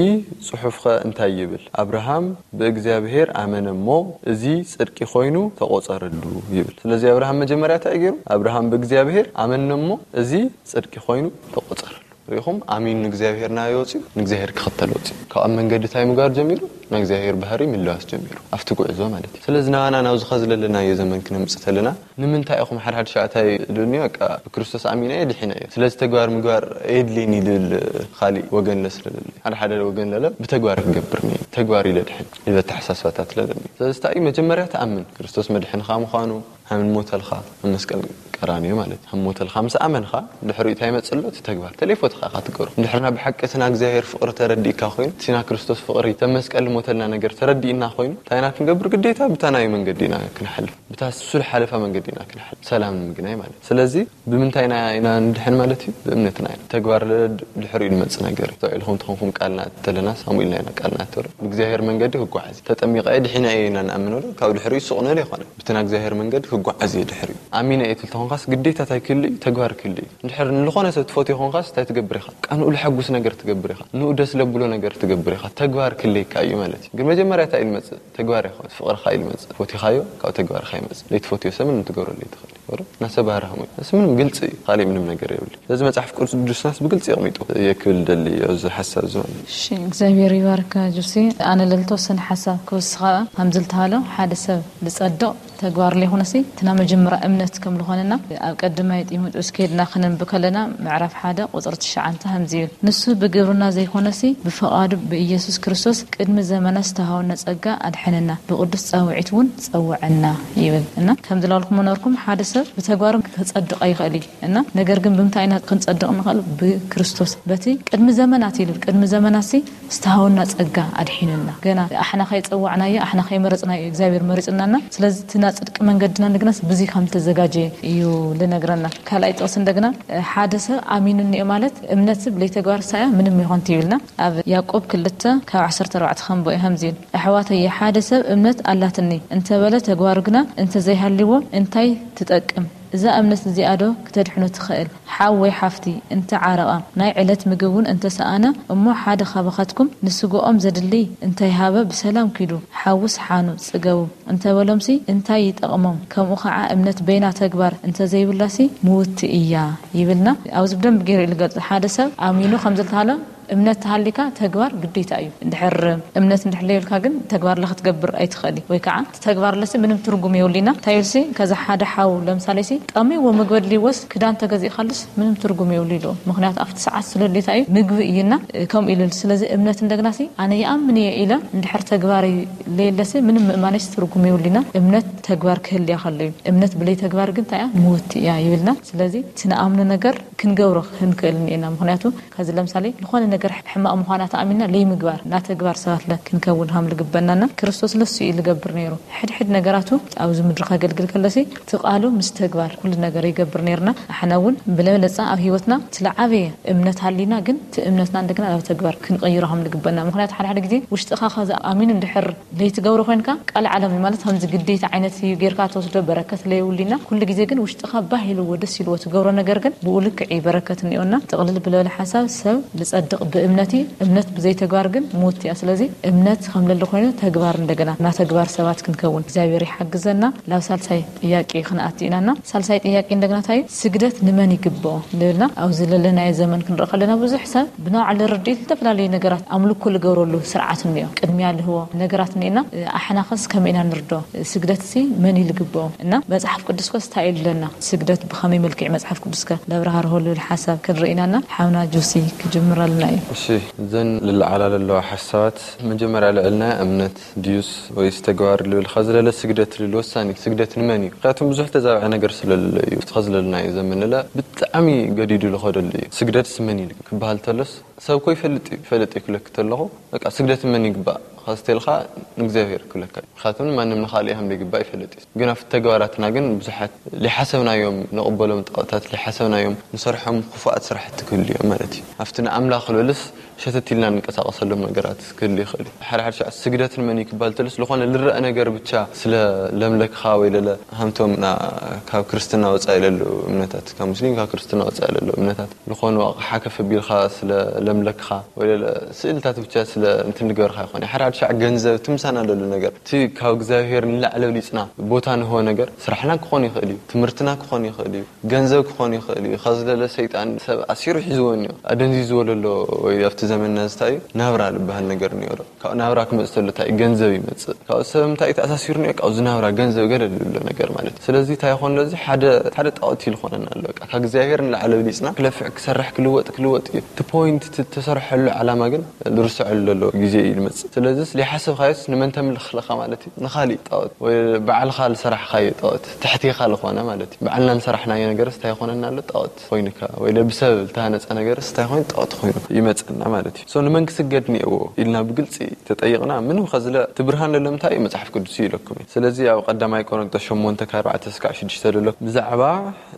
ጽሑፍኸ እንታይ ይብል ኣብርሃም ብእግዚኣብሔር ኣመነ እሞ እዚ ጽድቂ ኮይኑ ተቆጸረሉ ይብል ስለዚ ኣብርሃም መጀመርያ እንታይ ገይሩ ኣብርሃም ብእግዚኣብሔር ኣመነ እሞ እዚ ጽድቂ ኮይኑ ተቆጸረሉ ሪኹም ኣሚን ንእግዚኣብሔር ናበይ ወፅዩ ንእግዚኣብሔር ክኽተል ወፅዩ ካብ ኣብ መንገዲ እንታይ ምግባር ጀሚሩ ናይ እግዚኣብሔር ባህሪ ምልዋስ ጀሚሩ ኣብቲ ጉዕዞ ማለት እዩ ስለዚ ናባና ናብዚ ኸዚ ለለናዮ ዘመን ክነምፅእ ተለና ንምንታይ ኢኹም ሓድሓድ ሻዕታይ ልብልኒ በቃ ብክርስቶስ ኣሚነ እየ ድሒነ እየ ስለዚ ተግባር ምግባር የድልየኒ ልብል ካሊእ ወገን ለስለለለ ሓደ ሓደ ወገን ለለ ብተግባር ክገብር እየ ተግባር ኢለ ድሕን ልበ ኣተሓሳስባታት ለለኒ ስለዚ እንታይ እዩ መጀመርያ ተኣምን ክርስቶስ መድሕንኻ ምዃኑ ሃምን ሞተልኻ ኣብ መስቀል ቀራንዮ ማለት እዩ ሃም ሞተልኻ ምስ ኣመንኻ ድሕሪኡ እንታይ ይመፅእ ኣሎ እቲ ተግባር ተለይፎትኻ ኢኻ ትገሩ እንድሕርና ብሓቂ እቲ ና እግዚኣብሔር ፍቕሪ ተረዲእካ ኮይኑ እቲ ና ክርስቶስ ፍቕሪ ተብ መስቀል ሞተልና ነገር ተረዲእና ኮይኑ እንታይ ኢና ክንገብር ግዴታ ብታ ናይ መንገዲ ኢና ክንሓልፍ ብታ እሱ ዝሓለፋ መንገዲ ኢና ክንሓልፍ ሰላም ንምግናይ ማለት እዩ ስለዚ ብምንታይ ኢና ኢና ንድሕን ማለት እዩ ብእምነትና ኢና ተግባር ድሕሪኡ ዝመፅእ ነገር እዩ ተውዒልኩም ተኾንኩም ቃልና ተለና ሳሙኤልና ኢና ቃልና ተሩ ብእግዚኣብሔር መንገዲ ክጓዓዝ ተጠሚቐ ድሒና እየ ኢና ንኣምነሉ ካብ ድሕሪኡ ሱቕ ንብል ኣይኮነን ብትና እግዚኣብሔር መንገዲ ክጓዓዝ እየ ድሕሪኡ ኣሚነ እየ ትልተኾንካስ ግዴታ እንታይ ክህሉ እዩ ተግባር ክህሉ እዩ እንድሕር ንልኾነ ሰብ ትፈትዮ ኾንካስ እንታይ ትገብር ኢኻ ቃ ንኡ ልሐጉስ ነገር ትገብር ኢኻ ንኡ ደስ ለብሎ ነገር ትገብር ኢኻ ተግባር ክህለየካ እዩ ማለት እዩ ግን መጀመርያ እንታይ እዩ ልመፅእ ተግባር ይኾን ፍቕርኻ እዩ ልመፅእ ፈቲኻዮ ካብ ተግባርካ ይመፅእ ለይትፈትዮ ሰምን ንትገብረሉ ይትኽእል ወረ ናሰ ባህርሃም ወይ እስ ምንም ግልጽ እዩ። ካልእ ምንም ነገር የብሉ። ስለዚ መጽሓፍ ቅዱስናስ ብግልጽ የቕሚጡ። የክብል ደሊ እዚ ሓሳብ እዚ ማለት እዩ። እሺ እግዚኣብሔር ይባርካ ጆሲ። ኣነ ለልተወሰነ ሓሳብ ክወስኻ። ከምዚ ልተሃሎ ሓደ ሰብ ልጸድቕ ተግባር ለይኮነሲ እትና መጀመርያ እምነት ከም ዝኾነና ኣብ ቀድማይ ጢሞቴዎስ ከይድና ክነንብ ከለና ምዕራፍ ሓደ ቁፅሪ ትሽዓንተ ከምዚ ይብል፣ ንሱ ብግብርና ዘይኮነሲ ብፍቓዱ ብኢየሱስ ክርስቶስ ቅድሚ ዘመናት ዝተሃወና ጸጋ ኣድሐነና፣ ብቅዱስ ጻውዒት እውን ጸውዐና ይብል። እና ከም ዝላልኩም መኖርኩም ሓደ ሰብ ብተግባርም ከጸድቕ ኣይኽእል እዩ። እና ነገር ግን ብምንታይ ኢና ክንጸድቕ ንኽእል? ብክርስቶስ በቲ ቅድሚ ዘመናት ይብል። ቅድሚ ዘመናት ሲ ዝተሃወና ጸጋ ኣድሒኑና። ገና ኣሕና ከይጸዋዕናዮ ኣሕና ከይመረጽናዮ እግዚኣብሔር መሪጽናና። ስለዚ እቲ ናይ ጽድቂ መንገድና እንደገና ብዙይ ከም ተዘጋጀ እዩ ልነግረና። ካልኣይ ጥቕስ እንደገና ሓደ ሰብ ኣሚኑ እኒኦ ማለት እምነት ብለይ ተግባር ሳያ ምንም ይኾን ትይብልና። ኣብ ያዕቆብ ክልተ ካብ ዓሰርተ ኣርባዕተ ከምቦ እዩ ከምዚ ይብል፣ ኣሕዋተየ ሓደ ሰብ እምነት ኣላትኒ እንተበለ ተግባሩ ግና እንተዘይሃልዎ እንታይ ትጠቅም? እዛ እምነት እዚኣ ዶ ክተድሕኖ ትኽእል? ሓው ወይ ሓፍቲ እንተ ዓረቐ፣ ናይ ዕለት ምግቢ እውን እንተ ሰኣነ እሞ ሓደ ካባኻትኩም ንስግኦም ዘድሊ እንተይሃበ ብሰላም ኪዱ ሓውስ ሓኑ ጽገቡ እንተበሎምሲ እንታይ ይጠቕሞም? ከምኡ ኸዓ እምነት በይና ተግባር እንተዘይብላሲ ምውቲ እያ ይብልና። ኣብዚ ብደንብ ገይሩ እዩ ዝገልጽ። ሓደ ሰብ ኣሚኑ ከም ዝተሃለ እምነት ተሃሊካ ተግባር ግዴታ እዩ። እንድሕር እምነት እንድሕር ለየብልካ ግን ተግባር ለክትገብር ኣይትኽእል ወይ ከዓ ተግባር ለሲ ምንም ትርጉም የብሉና። እንታይ ኢልሲ ከዛ ሓደ ሓው ለምሳሌ ሲ ጠሚዎ ምግቢ ኣድልይዎስ ክዳን ተገዚእካሉስ ምንም ትርጉም የብሉ ኢሉ። ምክንያቱ ኣብቲ ሰዓት ስለ ድሌታ እዩ ምግቢ እዩና ከምኡ ኢሉ። ስለዚ እምነት እንደገና ሲ ኣነ ይኣምን እየ ኢለ እንድሕር ተግባር ለየለሲ ምንም ምእማነስ ትርጉም የብሉና። እምነት ተግባር ክህልያ ከሎ እዩ። እምነት ብለይ ተግባር ግን እንታይ እያ ምውቲ እያ ይብልና። ስለዚ እቲ ንኣምኖ ነገር ክንገብሮ ክንክእል እኒኤና። ምክንያቱ ከዚ ለምሳሌ ዝኾነ ነገር ሕማቕ ምዃና ተኣሚንና ለይምግባር ናተግባር ሰባት ለ ክንከውን ሃም ልግበናና። ክርስቶስ ለሱ እዩ ልገብር ነይሩ። ሕድሕድ ነገራቱ ኣብዚ ምድሪ ከገልግል ከለሲ እቲ ቃሉ ምስ ተግባር ኩሉ ነገር ይገብር ነይርና። ኣሕና እውን ብለበለፃ ኣብ ህይወትና እቲ ለዓበየ እምነት ሃሊና ግን እቲ እምነትና እንደገና ናብ ተግባር ክንቀይሮ ሃም ልግበና። ምክንያቱ ሓደ ሓደ ግዜ ውሽጥኻ ከዚ ኣሚኑ እንድሕር ለይትገብሮ ኮይንካ ቃል ዓለም እዩ ማለት ከምዚ ግዴታ ዓይነት እዩ ጌርካ ተወስዶ በረከት ለይውሊና። ኩሉ ግዜ ግን ውሽጥኻ ባህ ኢልዎ ደስ ኢልዎ ትገብሮ ነገር ግን ብኡ ልክዕ እዩ በረከት እኒኦና። ጥቕልል ብለበለ ሓሳብ ሰብ ልጸድቕ ብእምነት እዩ። እምነት ብዘይተግባር ግን ሞት እያ። ስለዚ እምነት ከም ለለ ኮይኑ ተግባር እንደገና እና ተግባር ሰባት ክንከውን እግዚኣብሔር ይሓግዘና። ላብ ሳልሳይ ጥያቄ ክንኣቲ ኢናና። ሳልሳይ ጥያቄ እንደገና እንታይ እዩ? ስግደት ንመን ይግብኦ ልብልና ኣብዚ ለለናዮ ዘመን ክንርኢ ከለና ብዙሕ ሰብ ብናባዕሉ ርድኢት ዝተፈላለዩ ነገራት ኣምልኮ ልገብረሉ ስርዓት እኒኦ። ቅድሚያ ልህቦ ነገራት እኒኤና። ኣሕናኸስ ከመይ ኢና ንርዶ? ስግደት ሲ መን እዩ ልግብኦ? እና መጽሓፍ ቅዱስ ከስ እንታይ እዩ ልለና? ስግደት ብኸመይ መልክዕ መጽሓፍ ቅዱስ ከ ለብርሃርሆ ልብል ሓሳብ ክንርኢ ኢናና። ሓውና ጆሲ ክጅምረልና እዩ። እሺ፣ እዘን ልለዓላ ለለዋ ሓሳባት መጀመርያ ልዕልና እምነት ድዩስ ወይስ ተግባር ልብል ኸዚ ለለ ስግደት ልብል ወሳኒ ስግደት ንመን እዩ? ምክንያቱም ብዙሕ ተዛብዐ ነገር ስለለለ እዩ። ኸዚ ለለናዮ ዘመን ለለ ብጣዕሚ ገዲዱ ልኸደሉ እዩ። ስግደትስ መን እዩ ክበሃል ተሎስ ሰብ ኮ ይፈልጥ እዩ። ይፈልጥ እዩ ክለክ ተለኹ በቃ ስግደት መን ይግባእ ኸዚ ተልኻ ንእግዚኣብሔር ክብለካ እዩ። ምክንያቱም ማንም ንኻልእ ከም ዘይግባእ ይፈልጥ እዩ። ግን ኣብቲ ተግባራትና ግን ብዙሓት ሊሓሰብናዮም ንቕበሎም ጣዖታት ሊሓሰብናዮም ንሰርሖም ክፉኣት ስራሕቲ ክህሉ እዮም ማለት እዩ። ኣብቲ ንኣምላኽ ልበልስ ሸተት ኢልና ንንቀሳቐሰሎም ነገራት ክህሉ ይኽእል እዩ። ሓደ ሓደ ሸዕ ስግደት ንመን እዩ ክባል ተልስ ዝኾነ ልረአ ነገር ብቻ ስለ ለምለክኻ ወይ ለለ ሃምቶም ና ካብ ክርስትና ወፃኢ ለለዉ እምነታት ካብ ሙስሊም ካብ ክርስትና ወፃኢ ለለዉ እምነታት ዝኾኑ ኣቕሓ ከፍ ኣቢልካ ስለ ለምለክኻ ወይ ለለ ስእልታት ብቻ ስለ እንትን ልገበርካ ይኾን ሓደ ሓደ ሸዕ ገንዘብ ትምሳና ለሉ ነገር እቲ ካብ እግዚኣብሔር ንላዕለ ብሊፅና ቦታ ንህቦ ነገር ስራሕና ክኾን ይኽእል እዩ ትምህርትና ክኾን ይኽእል እዩ ገንዘብ ክኾን ይኽእል እዩ። ኻዚ ለለ ሰይጣን ሰብ ኣሲሩ ሒዝዎ እኒኦ ኣደንዚዝዎ ለሎ ወይ ኣብቲ ዘመንና ዝታይ እዩ ናብራ ልበሃል ነገር እኒኦ ዶ ካብኡ ናብራ ክመፅእ ተሎ እንታይ እዩ ገንዘብ ይመፅእ ካብኡ ሰብ እንታይ እዩ ተኣሳሲሩ እኒኦ ካብዚ ናብራ ገንዘብ ገለ ልብሎ ነገር ማለት እዩ። ስለዚ እንታይ ይኾን ለዚ ሓደ ሓደ ጣዖት እዩ ልኾነና ኣሎ በቃ ካብ እግዚኣብሔር ንላዕለ ብሊፅና ክለፍዕ ክሰርሕ ክልወጥ ክልወጥ እዩ እቲ ፖይንት እቲ ተሰርሐሉ ዓላማ ግን ዝርስዐሉ ዘሎ ግዜ እዩ ዝመፅእ። ስለዚስ ዘይሓሰብካዮስ ንመን ተምልኽ ኣለኻ ማለት እዩ? ንኻሊእ ጣዖት ወይ ባዕልኻ ዝሰራሕኻዮ ጣዖት ትሕቴኻ ዝኾነ ማለት እዩ። ባዕልና ዝሰራሕናዮ ነገርስ እንታይ ይኾነና ኣሎ? ጣዖት ኮይኑካ ወይ ብሰብ ዝተሃነፀ ነገርስ እንታይ ኮይኑ? ጣዖት ኮይኑ ይመፀና ማለት እዩ። ሶ ንመን ክስገድ እኒአዎ ኢልና ብግልፂ ተጠይቕና ምንም ኸዝለ እቲ ብርሃን ዘሎ እንታይ እዩ? መፅሓፍ ቅዱስ እዩ ኢለኩም እዩ። ስለዚ ኣብ ቀዳማይ ቆሮንጦስ ሸሞንተ ካብ ኣርባዕተ እስካዕ ሽዱሽተ ዘሎ ብዛዕባ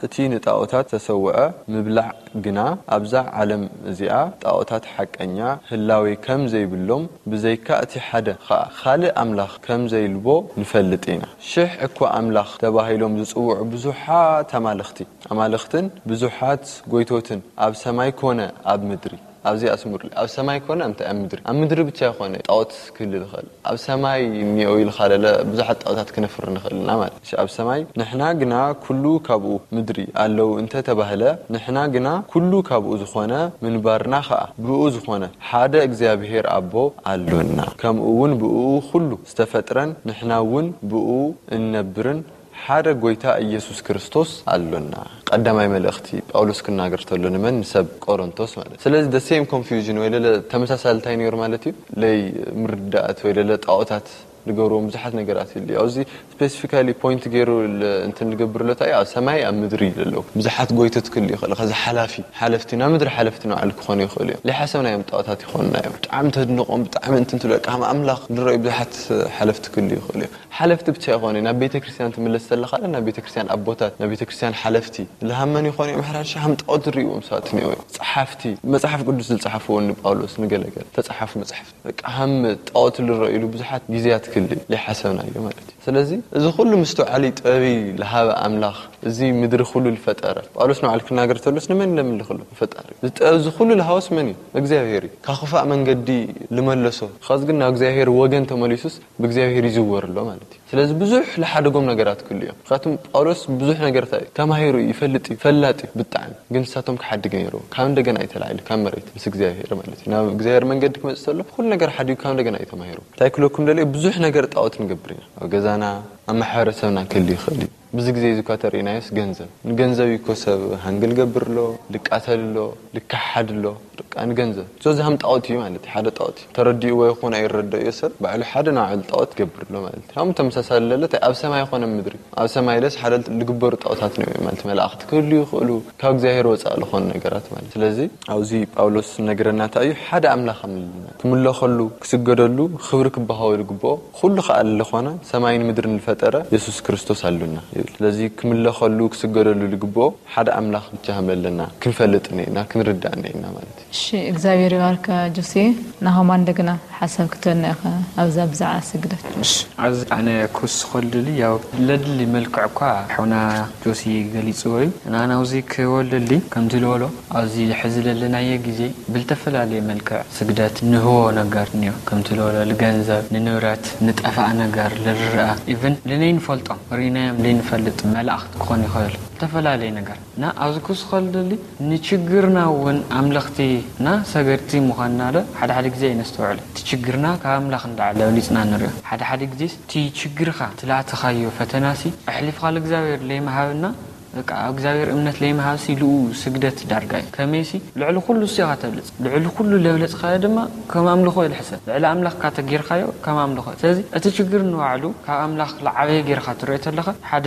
እቲ ንጣዖታት ተሰውዐ ምብላዕ ግና ኣብዛ ዓለም እዚኣ ጣዖታት ሓቀኛ ህላዌ ከም ዘይብሎም፣ ብዘይካ እቲ ሓደ ኸኣ ካልእ ኣምላኽ ከም ዘይልቦ ንፈልጥ ኢና። ሽሕ እኳ ኣምላኽ ተባሂሎም ዝጽውዑ ብዙሓት ኣማልኽቲ ኣማልኽትን ብዙሓት ጐይቶትን ኣብ ሰማይ ኰነ ኣብ ምድሪ፣ ኣብዚ ኣስምሩሉ። ኣብ ሰማይ ኮነ እንታይ ኣብ ምድሪ፣ ኣብ ምድሪ ብቻ ይኾነ ጣዖት ክህልል ይኽእል። ኣብ ሰማይ እኒኦ ኢልካ ለለ ብዙሓት ጣዖታት ክነፍር ንኽእል ኢና ማለት እዩ። ኣብ ሰማይ ንሕና ግና ኩሉ ካብኡ፣ ምድሪ ኣለዉ እንተ ተባህለ፣ ንሕና ግና ኩሉ ካብኡ ዝኾነ፣ ምንባርና ኸኣ ብኡ ዝኾነ ሓደ እግዚኣብሔር ኣቦ ኣሎና። ከምኡ እውን ብኡ ኩሉ ዝተፈጥረን ንሕና እውን ብኡ እንነብርን ሓደ ጎይታ ኢየሱስ ክርስቶስ ኣሎና። ቀዳማይ መልእኽቲ ጳውሎስ ክናገር ተሎ ንመን? ንሰብ ቆሮንቶስ ማለት። ስለዚ the same confusion ወይ ለለ ተመሳሳሊ እንታይ ነይሩ ማለት እዩ? ለይ ምርዳእት ወይ ለለ ጣዖታት ዝገብርዎም ብዙሓት ነገራት ይልዩ። ኣብዚ ስፔሲፊካሊ ፖይንት ገይሩ ል-፣ እንትን ዝገብር ኣሎ እንታይ እዩ? ኣብ ሰማይ ኣብ ምድሪ ኣለዉ ብዙሓት ጎይቶት ክህልዩ ይኽእል። ከዚ ሓላፊ፣ ሓለፍቲ፣ ናብ ምድሪ ሓለፍቲ ንባዕሉ ክኾኑ ይኽእሉ እዮም። ዘይሓሰብናዮም ጣዖታት ይኾኑና እዮም። ብጣዕሚ ተድንቖም፣ ብጣዕሚ እንትን ትብሎ፣ ከም ኣምላኽ ዝረኣዩ ብዙሓት ሓለፍቲ ክህልዩ ይኽእሉ እዮም። ሓለፍቲ ብቻ ይኾኑ። ናብ ቤተ ክርስቲያን ትምለስ ዘለኻ፣ ናብ ቤተ ክርስቲያን ኣቦታት፣ ናብ ቤተ ክርስቲያን ሓለፍቲ፣ ዝሃመኑ ይኾኑ እዮም። ሕራሻ ከም ጣዖት ዝርእይዎም ሰባት እኒአው እዮም። ጸሓፍቲ፣ መጽሓፍ ቅዱስ ዝጸሓፍዎ ንጳውሎስ ንገለገለ ተጻሓፉ መጽሓፍቲ። በቃ ሃም ጣዖት ዝረኣዩሉ ብዙሓት ግዜያት ክህሉ ዘይሓሰብናዮ ማለት እዩ። ስለዚ እዚ ኩሉ ምስትውዓሊ ጥበቢ ዝሃበ ኣምላኽ፣ እዚ ምድሪ ኩሉ ዝፈጠረ፣ ጳውሎስ ንባዕሉ ክናገር ተሎስ ንመን ለምልኽሉ? ንፈጣሪ። እዚ ጥበብ እዚ ኩሉ ዝሃወስ መን እዩ? እግዚኣብሔር እዩ። ካብ ክፋእ መንገዲ ልመለሶ። ኻዚ ግን ናብ እግዚኣብሔር ወገን ተመሊሱስ ብእግዚኣብሔር ይዝወር ኣሎ ማለት እዩ። ስለዚ ብዙሕ ዝሓደጎም ነገራት ክህሉ እዮም። ምክንያቱም ጳውሎስ ብዙሕ ነገር እንታይ እዩ? ተማሂሩ እዩ፣ ይፈልጥ እዩ፣ ፈላጥ እዩ ብጣዕሚ። ግን ንሳቶም ክሓድግ ነይሩ። ካብ እንደገና እዩ ተላዒሉ፣ ካብ መሬት ምስ እግዚኣብሔር ማለት እዩ። ናብ እግዚኣብሔር መንገዲ ክመጽእ ከሎ ኩሉ ነገር ሓዲጉ ካብ እንደገና እዩ ተማሂሩ። እንታይ ክለኩም ደልዮ? ብዙሕ ነገር ጣዖት ንገብር ኢና። ኣብ ገዛና፣ ኣብ ማሕበረሰብና ክህሉ ይኽእል እዩ። ብዙ ግዜ እዚ እኳ ተርእናዮስ ገንዘብ። ንገንዘብ እዩ እኮ ሰብ ሃንግል ገብር ኣሎ፣ ልቃተል ኣሎ፣ ልካሓድ ኣሎ። በቃ ንገንዘብ። ሶ እዚ ሃም ጣዖት እዩ ማለት እዩ፣ ሓደ ጣዖት እዩ። ተረዲእዎ ይኹን ኣይረደእዮ ሰብ፣ ባዕሉ ሓደ ንባዕሉ ጣዖት ገብር ኣሎ ማለት እዩ። ሃም ተመሳሳሊ ለለ፣ እንታይ ኣብ ሰማይ ይኾነ ምድሪ። ኣብ ሰማይ ለስ ሓደ ልግበሩ ጣዖታት ነው ማለት፣ መላእኽቲ ክህሉ ይኽእሉ፣ ካብ እግዚኣብሔር ወፃእ ዝኾኑ ነገራት ማለት። ስለዚ ኣብዚ ጳውሎስ ነገረና እንታይ እዩ? ሓደ ኣምላኽ ኣምልልና። ክምለኸሉ፣ ክስገደሉ፣ ክብሪ ክበሃወ ዝግብኦ፣ ኩሉ ከኣ ዝኾነ ሰማይን ምድርን ዝፈጠረ የሱስ ክርስቶስ ኣሉና ይብል። ስለዚ ክምለኸሉ፣ ክስገደሉ ዝግብኦ ሓደ ኣምላኽ ብቻ ከም ዘለና ክንፈልጥ እኒኤና፣ ክንርዳእ እኒኤና ማለት እዩ። እሺ፣ እግዚኣብሔር ይባርካ ጆሴ። ናሆማ እንደገና ሓሳብ ክትበልና ኢኻ ኣብዛ ብዛዕባ ስግደት። እሺ፣ ኣብዚ ኣነ ክውስኸሉ ደሊ፣ ያው ለድሊ መልክዕ እኳ ሖና ጆሲ ገሊጽዎ እዩ። ንኣና ኣብዚ ክወልደሊ ከምቲ ዝበሎ ኣብዚ ሕዚ ዘለናዮ ግዜ ብልተፈላለየ መልክዕ ስግደት ንህቦ ነገር እኒኦ። ከምቲ ዝበሎ ንገንዘብ፣ ንንብረት፣ ንጠፋእ ነገር፣ ንርኣ፣ ኢቭን ንነይንፈልጦም ርኢናዮም ዘይንፈልጥ መላእኽቲ ክኾን ይኽእል። ዝተፈላለየ ነገር እና ኣብዚ ክውስኸሉ ደሊ ንችግርና እውን ኣምለኽቲ እና ሰገድቲ ምዃንና ዶ ሓደ ሓደ ግዜ ኣይነስተውዕል። እቲ ችግርና ካብ ኣምላኽ እንዳዓለ ኣብሊጽና ንሪኦ። ሓደ ሓደ ግዜ እቲ ችግርኻ ትላእትኻዮ ፈተናሲ ኣሕሊፍካ ለእግዚኣብሔር ለይምሃብና በቃ ኣብ እግዚኣብሔር እምነት ለይምሃብሲ ልኡ ስግደት ዳርጋ እዩ። ከመይሲ ልዕሊ ኩሉ እሱ ኢኻ ተብልጽ። ልዕሊ ኩሉ ለብለጽካዮ ድማ ከም ኣምልኾ እዩ ዝሕሰብ። ልዕሊ ኣምላኽካ ተጌርካዮ ከም ኣምልኾ እዩ። ስለዚ እቲ ችግር ንባዕሉ ካብ ኣምላኽ ለዓበየ ጌርካ ትሪኦ ተለኻ ሓደ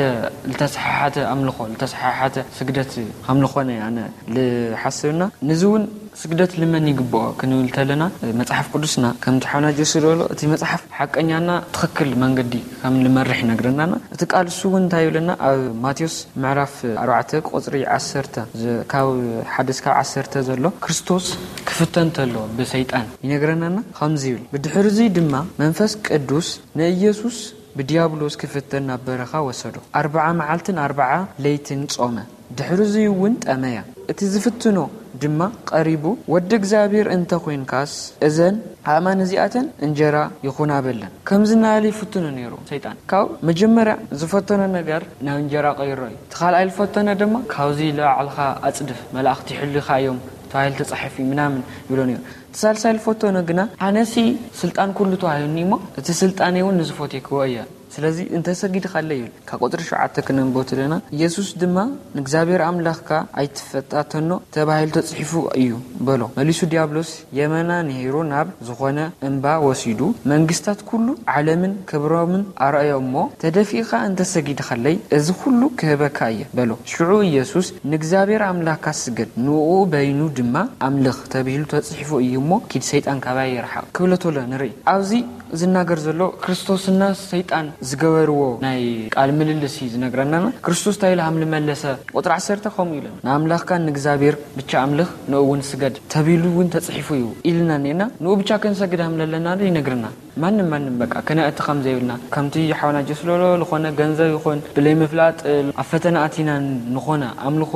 ልተሰሓሓተ ኣምልኾ፣ ልተሰሓሓተ ስግደት ከም ዝኾነ ኣነ ልሓስብና። ንዚ እውን ስግደት ልመን ይግብኦ ክንብል ተለና መጽሓፍ ቅዱስና ከምቲ ሓውና ጆሲ ዝበሎ እቲ መጽሓፍ ሓቀኛና ትኽክል መንገዲ ከም ልመርሕ ይነግረናና። እቲ ቃል እሱ እውን እንታይ ይብለና? ኣብ ማቴዎስ ምዕራፍ ኣርባዕተ ቁጽሪ ዓሰርተ ዝ-፣ ካብ ሓደ እስካብ ዓሰርተ ዘሎ ክርስቶስ ክፍተን ተሎ ብሰይጣን ይነግረናና ከምዚ ይብል፣ ብድሕርዚ ድማ መንፈስ ቅዱስ ንኢየሱስ ብዲያብሎስ ክፍተን ናብ በረኻ ወሰዶ። ኣርብዓ መዓልትን ኣርብዓ ለይትን ጾመ። ድሕርዚ እውን ጠመያ። እቲ ዝፍትኖ ድማ ቀሪቡ፣ "ወዲ እግዚኣብሔር እንተ ኾይንካስ፣ እዘን ኣእማን እዚኣተን እንጀራ ይኹና" በለን። ከምዚ እናበለ ይፍትኖ ነይሩ ሰይጣን። ካብ መጀመርያ ዝፈተኖ ነገር ናብ እንጀራ ቀይሮ እዩ። እቲ ካልኣይ ዝፈተኖ ድማ፣ "ካብዚ ንባዕልኻ ኣጽድፍ፣ መላእኽቲ ይሕሉኻ እዮም ተባሂሉ ተጻሒፉ እዩ" ምናምን ይብሎ ነይሩ። እቲ ሳልሳይ ዝፈተኖ ግና፣ "ኣነሲ ስልጣን ኩሉ ተዋሂቡኒ እሞ፣ እቲ ስልጣነይ እውን ንዝፈትዮ ክህቦ እየ። ስለዚ እንተሰጊድካለይ" ይብል። ካብ ቁጽሪ ሸውዓተ ክነንብቦ ትለና፣ "ኢየሱስ ድማ ንእግዚኣብሔር ኣምላኽካ ኣይትፈታተኖ ተባሂሉ ተጽሒፉ እዩ" በሎ። መሊሱ ዲያብሎስ፣ "የመና ንሄሩ ናብ ዝኾነ እምባ ወሲዱ፣ መንግስታት ኩሉ ዓለምን ክብሮምን ኣርኣዮ እሞ፣ ተደፊእካ እንተሰጊድካለይ፣ እዚ ኩሉ ክህበካ እየ" በሎ። ሽዑ ኢየሱስ፣ "ንእግዚኣብሔር ኣምላኽካ ስገድ፣ ንእኡ በይኑ ድማ ኣምልኽ ተባሂሉ ተጽሒፉ እዩ እሞ፣ ኪድ ሰይጣን ካባይ ይርሓቕ" ክብሎ ተሎ ንርኢ። ኣብዚ ዝናገር ዘሎ ክርስቶስና ሰይጣን ዝገበርዎ ናይ ቃል ምልልስ እዩ ዝነግረና። ክርስቶስ እንታይ ኢሉ ሃም ልመለሰ፣ ቁጥሪ ዓሰርተ ከምኡ ኢሉ፣ "ንኣምላኽካ ንእግዚኣብሔር ብቻ ኣምልኽ፣ ንኡ እውን ስገድ ተቢሉ እውን ተጽሒፉ እዩ" ኢልና እኒኤና። ንኡ ብቻ ክንሰግድ ሃም ለለና ይነግርና። ማንም ማንም በቃ ክነእቲ ከም ዘይብልና፣ ከምቲ ሓውና ጀስሎሎ ዝኾነ ገንዘብ ይኹን ብለይ ምፍላጥ ኣብ ፈተና ኣቲና ንኾነ ኣምልኾ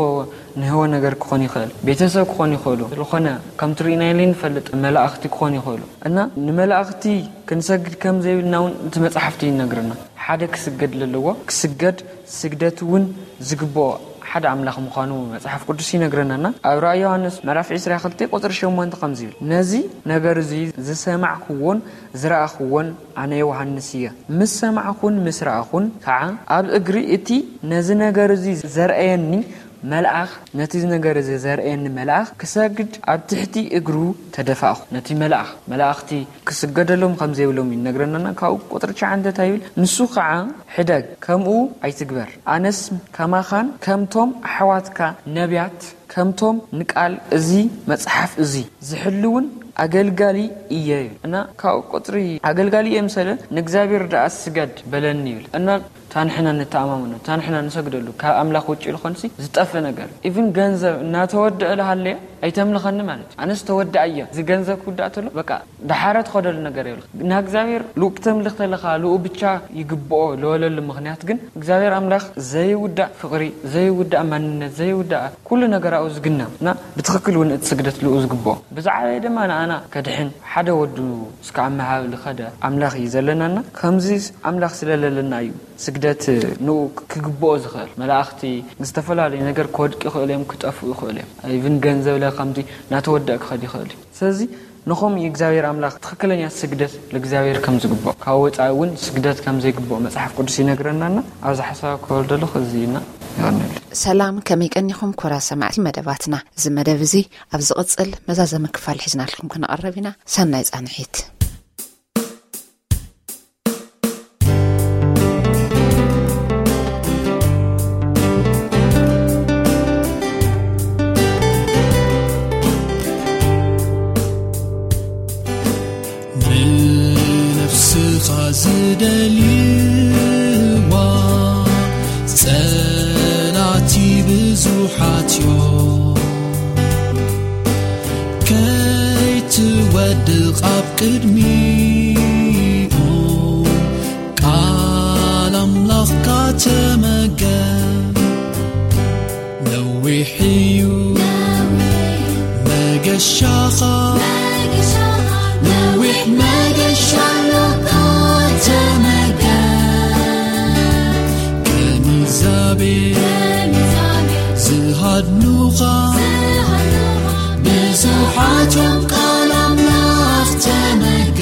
ንህወ ነገር ክኾን ይኽእል፣ ቤተሰብ ክኾን ይኽእሉ፣ ዝኾነ ከምቲ ርኢናዮ ንፈልጥ መላእኽቲ ክኾን ይኽእሉ። እና ንመላእኽቲ ክንሰግድ ከም ዘይብልና እውን እቲ መጽሓፍቲ ይነግርና። ሓደ ክስገድ ለለዎ ክስገድ፣ ስግደት እውን ዝግብኦ ሓደ ኣምላኽ ምዃኑ መጽሓፍ ቅዱስ ይነግረናና። ኣብ ራእይ ዮሃንስ ምዕራፍ ዕስራ ክልተ ቁጽሪ ሸሞንተ ከምዚ ይብል፣ ነዚ ነገር እዚ ዝሰማዕክዎን ዝረኣኽዎን ኣነ ዮሃንስ እየ። ምስ ሰማዕኹን ምስ ረኣኹን ከዓ ኣብ እግሪ እቲ ነዚ ነገር እዚ ዘርአየኒ መልኣኽ፣ ነቲ ነገር እዚ ዘርአየኒ መልኣኽ ክሰግድ ኣብ ትሕቲ እግሩ ተደፋእኹ። ነቲ መልኣኽ፣ መላእኽቲ ክስገደሎም ከም ዘይብሎም ይነግረናና። ካብኡ ቁጽሪ ትሽዓተ እንታይ ይብል? ንሱ ከዓ ሕደግ፣ ከምኡ ኣይትግበር። ኣነስ ከማኻን ከምቶም ኣሕዋትካ ነቢያት፣ ከምቶም ንቃል እዚ መጽሓፍ እዚ ዝሕልውን ኣገልጋሊ እየ። እና ካብኡ ቁጽሪ ኣገልጋሊ እየ ምሰለ ንእግዚኣብሔር ደኣ ስገድ በለኒ ይብል። እና ታንሕና ንተኣማመኖ፣ ታንሕና ንሰግደሉ ካብ ኣምላኽ ውጭ ዝኾንሲ ዝጠፍእ ነገር እዩ። ኢቭን ገንዘብ እናተወደአ ልሃለየ ኣይተምልኸኒ ማለት እዩ። ኣነስ ተወዳእ እየ። እዚ ገንዘብ ክውዳእ ተሎ በቃ ደሓረ ትኸደሉ ነገር የብልኻ። ንእግዚኣብሔር ልኡ ክተምልኽ ተለኻ ልኡ ብቻ ይግብኦ ለወለሉ ምኽንያት ግን እግዚኣብሔር ኣምላኽ ዘይውዳእ ፍቕሪ፣ ዘይውዳእ ማንነት፣ ዘይውዳእ ኩሉ ነገር ኣብኡ ዝግነ እና ብትኽክል እውን እቲ ስግደት ልኡ ዝግብኦ። ብዛዕባየ ድማ ንኣና ከድሕን ሓደ ወዱ እስከ ኣብ መሃብ ዝኸደ ኣምላኽ እዩ ዘለናና። ከምዚ ኣምላኽ ስለለለና እዩ ስግደት ንኡ ክግብኦ ዝኽእል። መላእኽቲ ዝተፈላለዩ ነገር ክወድቅ ይኽእሉ እዮም፣ ክጠፍኡ ይኽእሉ እዮም። ኢቭን ገንዘብ ለ ከምዚ እናተወደእ ክኸድ ይኽእል እዩ። ስለዚ ንኸም እግዚኣብሔር ኣምላኽ ትኽክለኛ ስግደት ለእግዚኣብሔር ከም ዝግብኦ ካብ ወፃኢ እውን ስግደት ከም ዘይግብኦ መጽሓፍ ቅዱስ ይነግረናና። ኣብዚ ሓሳብ ክወርደሉ እዚ እና ይቐንል። ሰላም፣ ከመይ ቀኒኹም ኮራ ሰማዕቲ መደባትና? እዚ መደብ እዚ ኣብ ዝቕጽል መዛዘሚ ክፋል ሒዝናልኩም ክንቐርብ ኢና። ሰናይ ጻንሒት። ንነፍስኻ ዝደልይዋ ጸላቲ ብዙሓት እዮም። ከይትወድቕ ኣብ ቅድሚኦም ቃል ኣምላኽካ ተመገብ። ነዊሕ እዩ መገሻኻ፣ ነዊሕ መገሻ ኣሎካ ተመገብ። ከም ኢዛቤል ዝሃድኑኻ ብዙሓት እዮም፣ ቃል ኣምላኽ ተመገብ።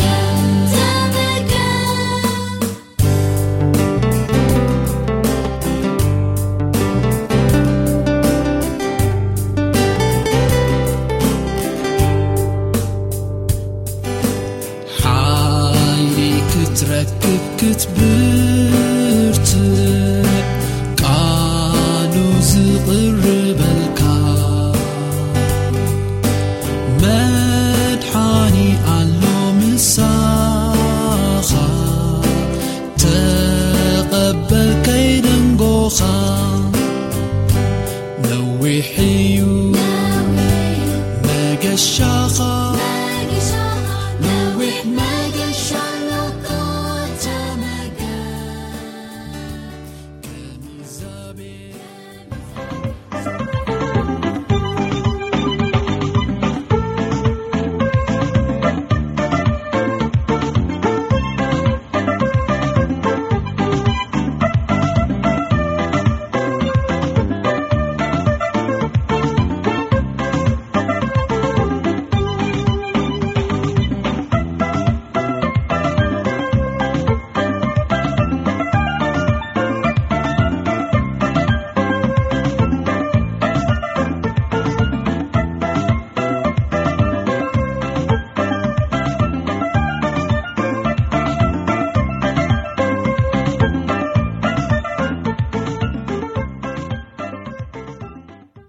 ሓይሊ ክትረክብ ክትብርትዕ ቃሉ ዝቕርብ